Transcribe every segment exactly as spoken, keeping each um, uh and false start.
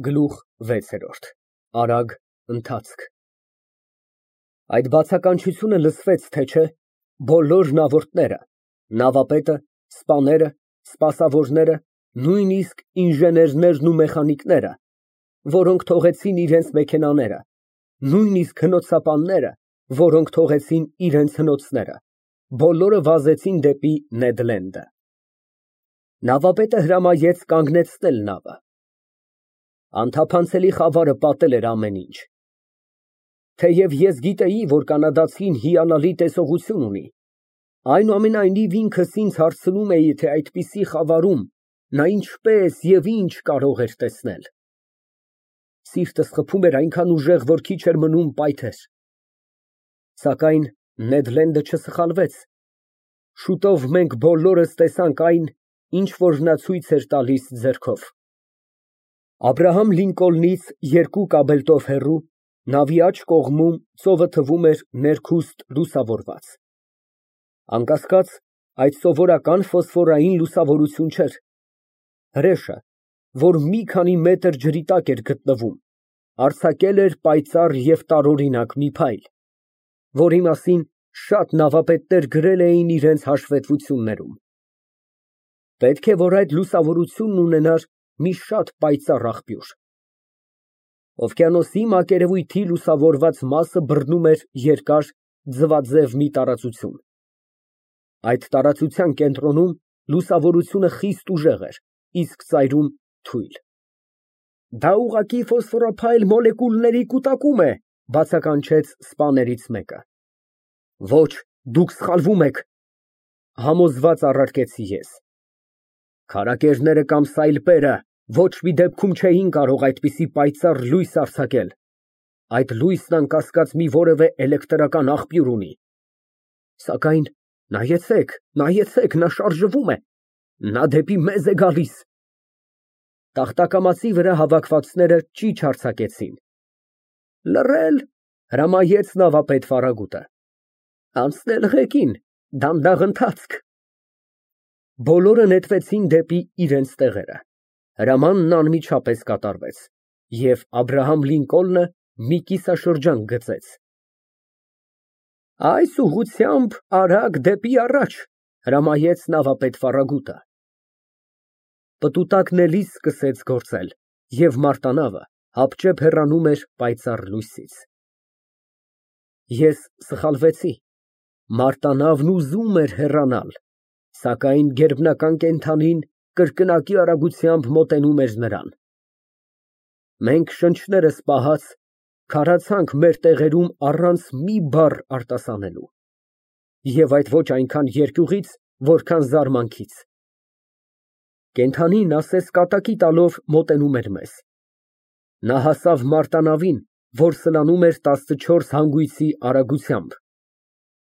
Գլուխ վեցերորդ ԱՐԱԳ Ընթացք Այդ բացականչությունը լսվեց, թե չէ, բոլոր նավորդները, նավապետը, սպաները, սպասավորները, նույնիսկ ինժեներներն ու մեխանիկները, որոնք թողեցին իրենց մեքենաները, նույնիսկ հնոցապանները, որոնք թողեցին իրենց հնոցները, բոլորը վազեցին դեպի Նեդլենդը։ Նավապետը հրամայեց կանգնեցնել նավը։ Անթափանցելի խավարը պատել էր ամեն ինչ։ Թեև ես գիտեի, որ կանադացին հիանալի տեսողություն ունի, այնուամենայնիվ ինքս ինձ հարցնում էի, թե այդպիսի խավարում նա ինչպես և ինչ կարող էր տեսնել։ Սիրտս խփում էր այնքան ուժեղ, որ քիչ էր մնում պայթեր։ Սակայն Նեդլենդը չսխալվեց։ Շուտով մենք բոլորս տեսանք այն, ինչ որ նա ցույց էր տալիս ձեռքով։ Աբրահամ Լինկոլնից երկու կաբելտով հեռու, նավի աջ կողմում ծովը թվում էր ներքուստ լուսավորված։ Անկասկած, այդ սովորական ֆոսֆորային լուսավորություն չէր։ Հրեշը, որ մի քանի մետր ջրի տակ էր գտնվում, արձակել էր պայծառ և տարօրինակ մի փայլ, որի մասին շատ նավապետներ գրել էին իրենց հաշվետվություններում։ Պետք է, որ այդ լուսավորությունն ունենար մի շատ պայծառ աղբյուր։ Օվկիանոսի մակերևույթի լուսավորված մասը բռնում էր երկար, ձվաձև մի տարածություն։ Այդ տարածության կենտրոնում լուսավորությունը խիստ ուժեղ էր, իսկ ծայրում թույլ։ Դա ուղղակի ֆոսֆորափայլ մոլեկուլների կուտակում է, բացականչեց սպաներից մեկը։ Ոչ, դուք սխալվում եք, համոզված առարկեցի ես։ Քարակերները կամ սայլպերը ոչ մի դեպքում չէին կարող այդպիսի պայծառ լույս արձակել։ Այդ լույսն անկասկած մի որևէ էլեկտրական աղբյուր ունի։ Սակայն նայեցեք, նայեցեք, նա շարժվում է, նա դեպի մեզ է գալիս։ Տախտակամածի վրա հավաքվածները ճիչ արձակեցին։ Լռել, հրամայեց նավապետ Ֆարագուտը։ Անցնել ղեկին, դանդաղ ընթացք։ Բոլորը նետվեցին դեպի իրենց տեղերը։ Հրամանն անմիջապես կատարվեց, և Աբրահամ Լինկոլնը մի կիսաշրջան գծեց։ Այս ուղղությամբ արագ դեպի առաջ, հրամայեց նավապետ Ֆարագուտը։ Պտուտակն էլի սկսեց գործել, և մարտանավը հապճեպ հեռանում էր պայծառ լույսից։ Ես սխալվեցի։ Մարտանավն ուզում էր հեռանալ, սակայն գերբնական կենդանին կրկնակի արագությամբ մոտենում էր նրան։ Մենք շնչներս պահած, քարացանք մեր տեղերում առանց մի բառ արտասանելու, և այդ ոչ այնքան երկյուղից, որքան զարմանքից։ Կենդանին ասես կատակի տալով մոտենում էր մեզ։ Նա հասավ մարտանավին, որ սլանում էր տասնչորս հանգույցի արագությամբ,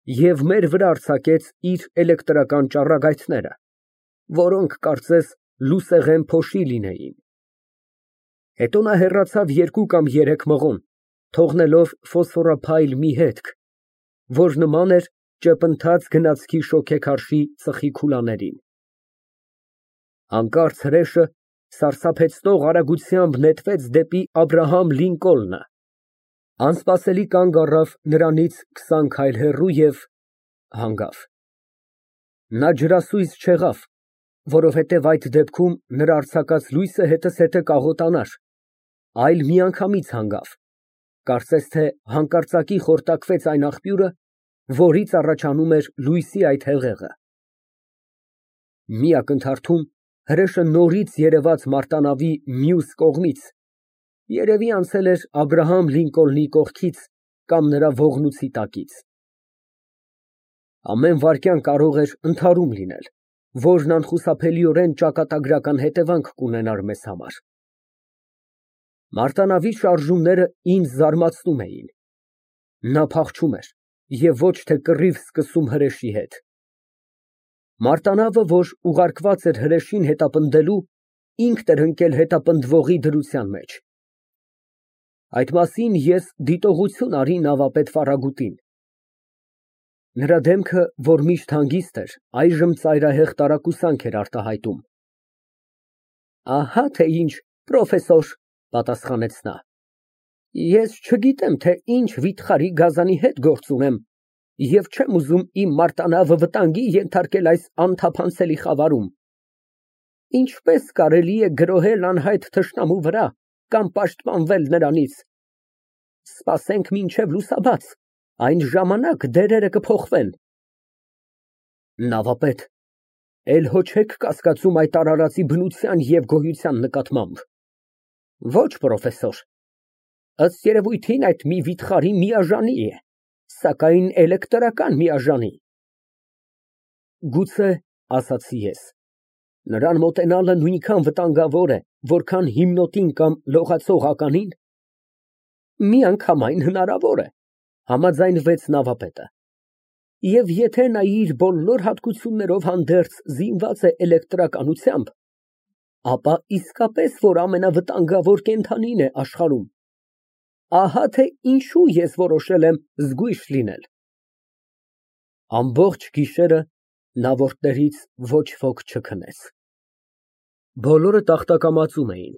և մեր վրա արձակեց իր էլեկտրական ճառագայթները, որոնք, կարծես, լուսեղեն փոշի լինեին։ Հետո նա հեռացավ երկու կամ երեք մղոն, թողնելով ֆոսֆորափայլ մի հետք, որ նման էր ճեպընթաց գնացքի շոգեքարշի ծխի քուլաներին։ Հանկարծ հրեշը սարսափեցնող արագությամբ նետվեց դեպի Աբրահամ Լինկոլնը, անսպասելի կանգ առավ նրանից քսան քայլ հեռու և հանգավ։ Նա ջրասույզ չեղավ, որովհետև այդ դեպքում նրա արձակած լույսը հետզհետե կաղոտանար, այլ միանգամից հանգավ, կարծես թե հանկարծակի խորտակվեց այն աղբյուրը, որից առաջանում էր լույսի այդ հեղեղը։ Մի ակնթարթում հրեշը նորից երևաց մարտանավի մյուս կողմից, երևի անցել էր Աբրահամ Լինկոլնի կողքից կամ նրա ողնույցի տակից։ Ամեն վայրկյան կարող էր ընդհարում լինել, որն անխուսափելիորեն ճակատագրական հետևանք կունենար մեզ համար։ Մարտանավի շարժումները ինձ զարմացնում էին։ Նա փախչում էր և ոչ թե կռիվ սկսում հրեշի հետ։ Մարտանավը, որ ուղարկված էր հրեշին հետապնդելու, ինքն էր ընկել հետապնդվողի դրության մեջ։ Այդ մասին ես դիտողություն արի նավապետ Ֆարագուտին։ Նրա դեմքը, որ միշտ հանգիստ էր, այժմ ծայրահեղ տարակուսանք էր արտահայտում։ Ահա թե ինչ, պրոֆեսոր, Պատասխանեց նա։ Ես չգիտեմ, թե ինչ վիթխարի գազանի հետ գործ ունեմ և չեմ ուզում իմ մարտանավը վտանգի ենթարկել այս անթափանցելի խավարում։ Ինչպե՞ս կարելի է գրոհել անհայտ թշնամու վրա կամ պաշտպանվել նրանից։ Սպասենք մինչև լուսաբաց, այն ժամանակ դերերը կփոխվեն։ Նավապետ, էլ հո չե՞ք կասկածում այդ արարածի բնության և գոյության նկատմամբ։ Ոչ, պրոֆեսոր, ըստ երևույթին այդ մի վիթխարի միաժանի է, սակայն էլեկտրական միաժանի։ Գուցե, ասացի ես, նրան մոտենալը նույնքան վտանգավոր է, որքան հիմնոտին կամ լողացող ականին։ Միանգամայն հնարավոր է, համաձայնվեց նավապետը։ Եվ եթե նա իր բոլոր հատկություններով հանդերձ զինված է էլեկտրականությամբ, ապա իսկապես որ ամենավտանգավոր կենդանին է աշխարհում։ Ահա թե ինչու ես որոշել եմ զգույշ լինել։ Ամբողջ գիշերը նավորդներից ոչ ոք չքնեց։ Բոլորը տախտակամածում էին,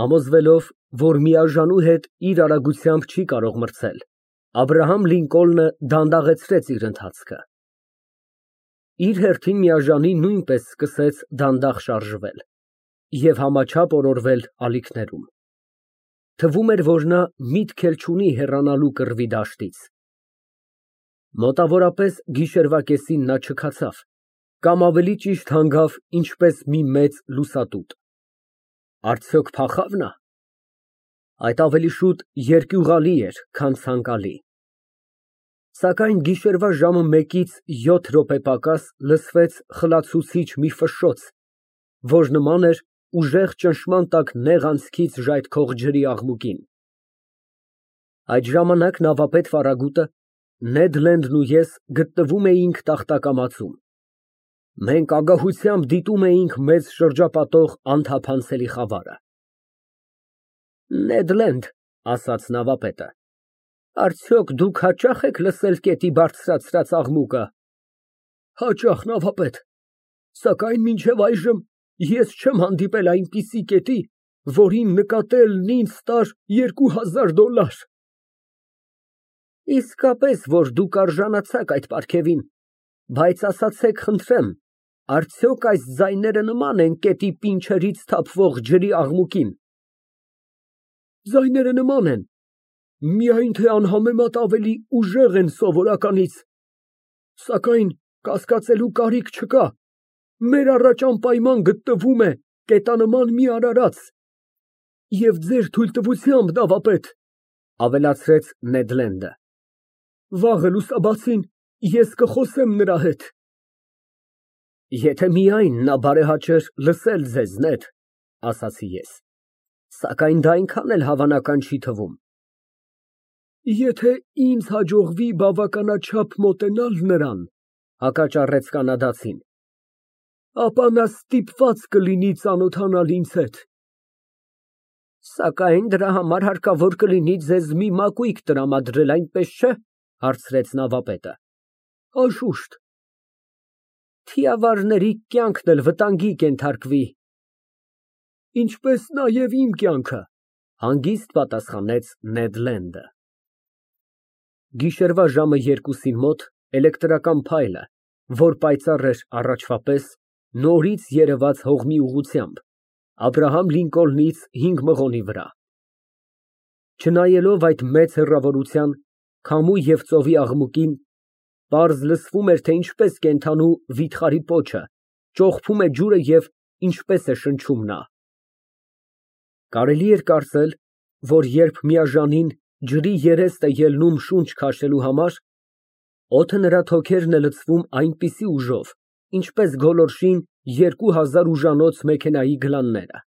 համոզվելով, որ միաժանու հետ իր արագությամբ չի կարող մրցել, Աբրահամ Լինկոլնը դանդաղեցրեց իր ընթացքը։ Իր հերթին միաժանին նույնպես սկսեց դանդաղ շարժվել և համաչափ օրորվել ալիքներում։ Թվում էր, որ նա միտք էլ չունի հեռանալու կռվի դաշտից։ Մոտավորապես գիշերվա կեսին նա չքացավ, կամ ավելի ճիշտ հանգավ ինչպես մի մեծ լուսատուտ։ Արդյոք փախա՞վ նա։ Այդ ավելի շուտ երկյուղալի էր, քան ցանկալի։ Սակայն գիշերվա ժամը մեկից յոթ րոպե պակաս լսվեց խլացուցիչ մի ֆշշոց, որ նման էր ուժեղ ճնշման տակ նեղ անցքից ժայթքող ջրի աղմուկին։ Այդ ժամանակ նավապետ Ֆարագուտը, Նեդ Լենդն ու ես գտնվում էինք տախտակամածում։ Մենք ագահությամբ դիտում էինք մեզ շրջապատող անթափանցելի խավարը։ Նեդ Լենդ, ասաց նավապետը, արդյոք դուք հաճա՞խ եք լսել գետի բարձրացրած աղմուկը։ Հաճախ, նավապետ, սակայն մինչև այժմ ես չեմ հանդիպել այնպիսի կետի, որին նկատելն ինձ տար երկու հազար դոլար։ Իսկապես, որ դուք արժանացաք այդ պարգևին, բայց ասացեք խնդրեմ, արդյոք այս ձայները նման են գետի պինչերից թափվող ջրի աղմուկին։ Ձայները նման են, միայն թե անհամեմատ ավելի ուժեղ են սովորականից, սակայն կասկածելու կարիք չկա, մեր առաջ անպայման գտնվում է կետանման մի արարած, և ձեր թույլտվությամբ, նավապետ, ավելացրեց Նեդ Լենդը, վաղը լուսաբացին ես կխոսեմ նրա հետ։ Եթե միայն նա բարեհաճեր լսել ձեզ, Նեդ, ասացի ես, սակայն դա այնքան էլ հավանական չի թվում։ Եթե ինձ հաջողվի բավականաչափ մոտենալ նրան, հակաճառեց կանադացին, ապա նա ստիպված կլինի ծանոթանալ ինձ հետ։ Սակայն դրա համար հարկավոր կլինի ձեզ մի մակույկ տրամադրել, այնպես չէ՞, հարցրեց նավապետը։ Անշուշտ։ Թիավարների կյանքն էլ վտանգի կենթարկվի։ Ինչպես նաև իմ կյանքը, հանգիստ պատասխանեց Նեդ Լենդը։ Գիշերվա ժամը երկուսին մոտ էլեկտրական փայլը, որ պայծառ էր առաջվա պես, նորից երևաց հողմի ուղղությամբ, Աբրահամ Լինկոլնից հինգ մղոնի վրա։ Չնայելով այդ մեծ հեռավորության, քամու և ծովի աղմուկին, պարզ լսվում էր, թե ինչպես կենդանու վիթխարի պոչը ճոխփում է ջուրը և ինչպես է շնչում նա։ Կարելի էր կարծել, որ երբ միաժանին ջրի երեստ է ելնում շունչ քաշելու համար, օդը նրա թոքերն է լցվում այնպիսի ուժով, ինչպես գոլորշին երկու հազար ուժանոց մեքենայի գլանները։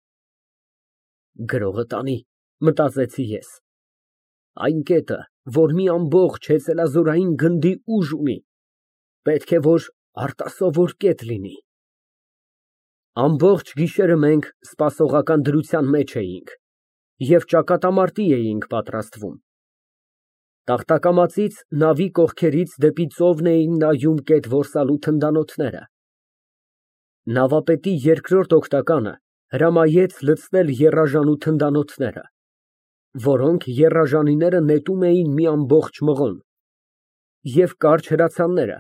Գրողը տանի, մտածեցի ես, այն կետը, որ մի ամբողջ հեծելազորային գնդի ուժ ունի, պետք է որ արտասովոր կետ լինի։ Ամբողջ գիշերը մենք սպասողական դրության մեջ էինք և ճակատամարտի էինք պատրաստվում։ Տախտակամածից նավի կողքերից դեպի ծովն էին նայում կետ որսալու թնդանոթները։ Նավապետի երկրորդ օգնականը Հրամայեց լցնել եռաժանու թնդանոթները, որոնք եռաժանիները նետում էին մի ամբողջ մղոն, և կարճ հրացանները,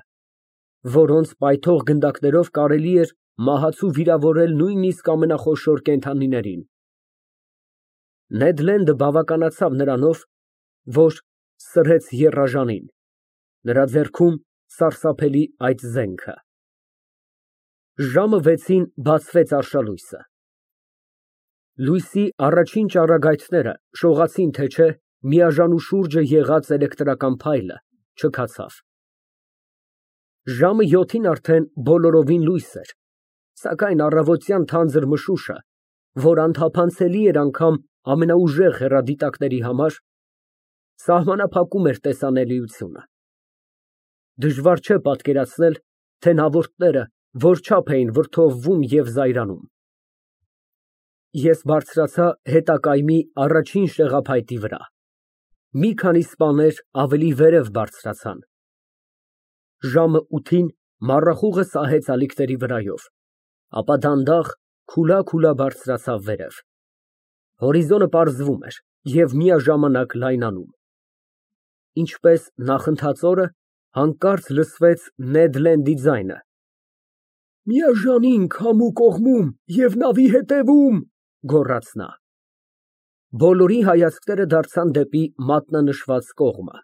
որոնց պայթող գնդակներով կարելի էր մահացու վիրավորել նույնիսկ ամենախոշոր կենդանիներին։ Նեդ Լենդը բավականացավ նրանով, որ սրեց եռաժանին, նրա ձեռքում սարսափելի այդ զենքը։ Ժամը վեցին բացվեց արշալույսը։ Լույսի առաջին ճառագայթները շողացին թե չէ միաժանու շուրջը եղած էլեկտրական փայլը չքացավ։ Ժամը յոթին արդեն բոլորովին լույս էր, սակայն առավոտյան թանձր մշուշը, որ անթափանցելի էր անգամ ամենաուժեղ հեռադիտակների համար, սահմանափակում էր տեսանելիությունը։ Դժվար չէ պատկերացնել, թե նավորդները որչափ էին վրդովվում և զայրանում։ Ես բարձրացա հետակայմի առաջին շեղափայտի վրա, մի քանի սպաներ ավելի վերև բարձրացան։ Ժամը ութին մառախուղը սահեց ալիքների վրայով, ապա դանդաղ քուլա֊քուլա բարձրացավ վերև։ Հորիզոնը պարզվում էր և միաժամանակ լայնանում։ Ինչպես նախընթաց օրը, հանկարծ լսվեց Նեդ Լենդի ձայնը. «Միաժանին քամու կողմում և նավի ետևում», գոռաց նա։ Բոլորի հայացքները դարձան դեպի մատնանշված կողմը։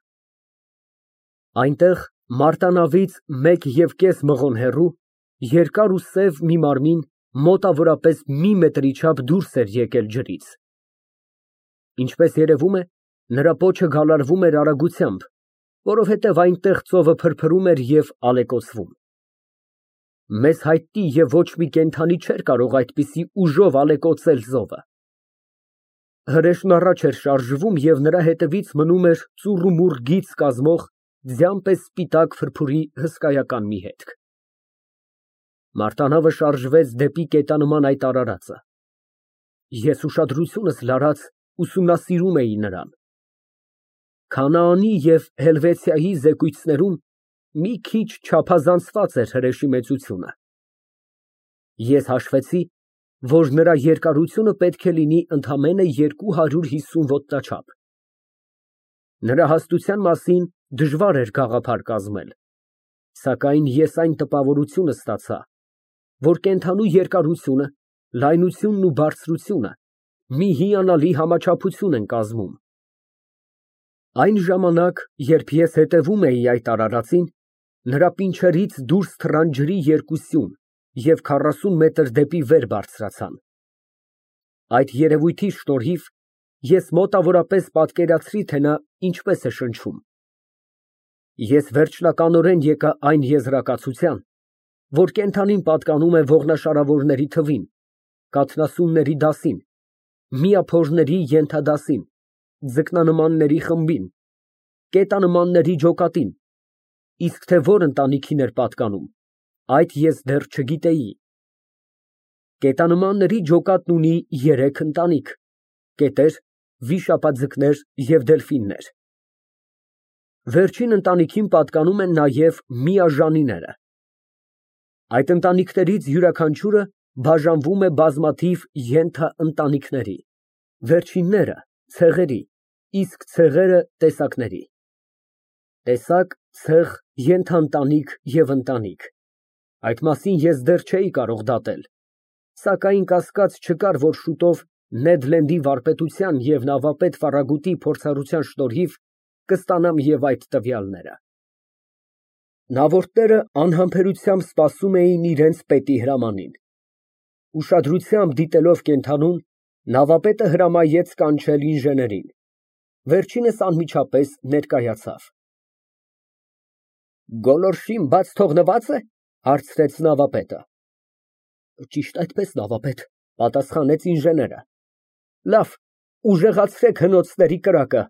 Այնտեղ մարտանավից մեկ և կես մղոն հեռու, երկար ու սև մի մարմին մոտավորապես մի մետրի չափ դուրս էր եկել ջրից։ Ինչպես երևում է, նրա պոչը գալարվում էր արագությամբ, որովհետև այնտեղ ծովը փրփրում էր և ալեկոծվում։ Մեզ հայտնի և ոչ մի կենդանի չէր կարող այդպիսի ուժով ալեկոծել ծովը։ Հրեշն առաջ էր շարժվում և նրա հետևից մնում էր ծուռումուռ գիծ կազմող ձյան պես սպիտակ փրփուրի հսկայական մի հետք։ Մարտանավը շարժվեց դեպի կետանման այդ արարածը։ Ես ուշադրությունս լարած ուսումնասիրում էի նրան։ Քանաանի և Հելվեցիայի զեկույցներում մի քիչ չափազանցված էր հրեշի մեծությունը։ Ես հաշվեցի, որ նրա երկարությունը պետք է լինի ընդամենը երկու հարյուր հիսուն ոտնաչափ։ Նրա հաստության մասին դժվար էր գաղափար կազմել, սակայն ես այն տպավորությունը ստացա, որ կենդանու երկարությունը, լայնությունն ու բարձրությունը մի հիանալի համաչափություն են կազմում։ Այն ժամանակ, երբ ես հետևում էի այդ արարածին, նրա պինչերից դուրս թռան ջրի երկու սյուն և քառասուն մետր դեպի վեր բարձրացան։ Այդ երևույթի շնորհիվ ես մոտավորապես պատկերացրի, թե նա ինչպես է շնչում։ Ես վերջնականորեն եկա այն եզրակացության, որ կենդանին պատկանում է ողնաշարավորների թվին, կաթնասունների դասին, միափորների ենթադասին, ձկնանմանների խմբին, կետանմանների ջոկատին, իսկ թե որ ընտանիքին էր պատկանում, այդ ես դեռ չգիտեի։ Կետանմանների ջոկատն ունի երեք ընտանիք՝ կետեր, վիշապաձկներ և դելֆիններ։ Վերջին ընտանիքին պատկանում են նաև միաժանիները։ Այդ ընտանիքներից յուրաքանչյուրը բաժանվում է բազմաթիվ ենթաընտանիքների, վերջինները՝ ցեղերի, իսկ ցեղերը՝ տեսակների։ Տեսակ, ցեղ, ենթաընտանիք և ընտանիք, այդ մասին ես դեռ չէի կարող դատել, սակայն կասկած չկար, որ շուտով Նեդ Լենդի վարպետության և նավապետ Ֆարրագուտի փորձառության շնորհիվ կստանամ և այդ տվյալները։ Նավորդները անհամբերությամբ սպասում էին իրենց պետի հրամանին։ Ուշադրությամբ դիտելով կենդանուն, նավապետը հրամայեց կանչել ինժեներին։ Վերջինս անմիջապես ներկայացավ։ «Գոլորշին բաց թողնվա՞ծ է», ֊ հարցրեց նավապետը։ «Ճիշտ այդպես, նավապետ», ֊ պատասխանեց ինժեները։ «Լավ, ուժեղացրեք հնոցների կրակը»։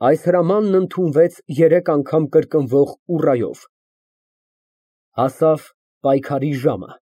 Այս հրամանն ընդունվեց երեք անգամ կրկնվող ուռայով։ Հասավ պայքարի ժամը։